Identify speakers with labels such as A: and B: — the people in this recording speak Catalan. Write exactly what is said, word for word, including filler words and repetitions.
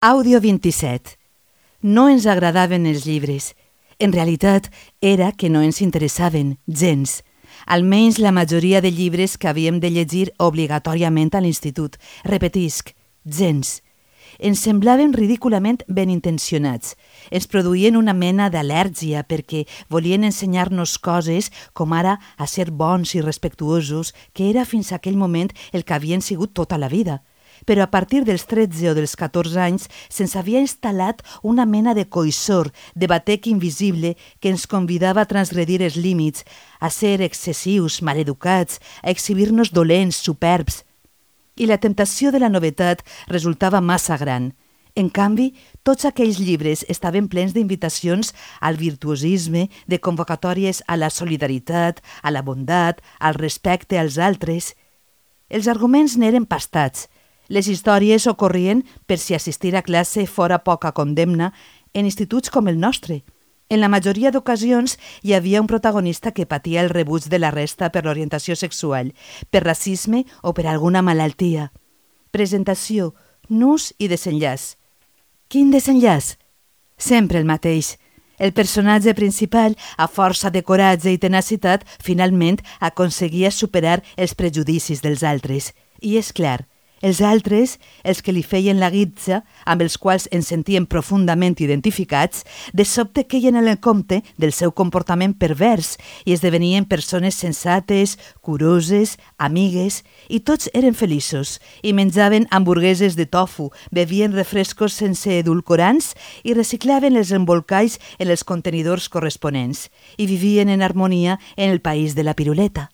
A: Àudio vint-i-set. No ens agradaven els llibres. En realitat, era que no ens interessaven, gens. Almenys la majoria de llibres que havíem de llegir obligatòriament a l'institut. Repetisc, gens. Ens semblaven ridículament ben intencionats. Ens produïen una mena d'al·lèrgia perquè volien ensenyar-nos coses com ara a ser bons i respectuosos, que era fins a aquell moment el que havien sigut tota la vida. Però a partir dels tretze o dels catorze anys se'ns havia instal·lat una mena de coïssor, de batec invisible que ens convidava a transgredir els límits, a ser excessius, maleducats, a exhibir-nos dolents, superbs. I la temptació de la novetat resultava massa gran. En canvi, tots aquells llibres estaven plens d'invitacions al virtuosisme, de convocatòries a la solidaritat, a la bondat, al respecte als altres. Els arguments n'eren pastats. Les històries ocorrien per si assistir a classe fora poca condemna en instituts com el nostre. En la majoria d'ocasions hi havia un protagonista que patia el rebuig de la resta per l'orientació sexual, per racisme o per alguna malaltia. Presentació, nus i desenllaç. Quin desenllaç? Sempre el mateix. El personatge principal, a força de coratge i tenacitat, finalment aconseguia superar els prejudicis dels altres. I és clar, els altres, els que li feien la guitza, amb els quals ens sentíem profundament identificats, de sobte queien en el compte del seu comportament pervers i esdevenien persones sensates, curoses, amigues, i tots eren feliços, i menjaven hamburgueses de tofu, bevien refrescos sense edulcorants i reciclaven els embolcalls en els contenidors corresponents, i vivien en harmonia en el país de la piruleta.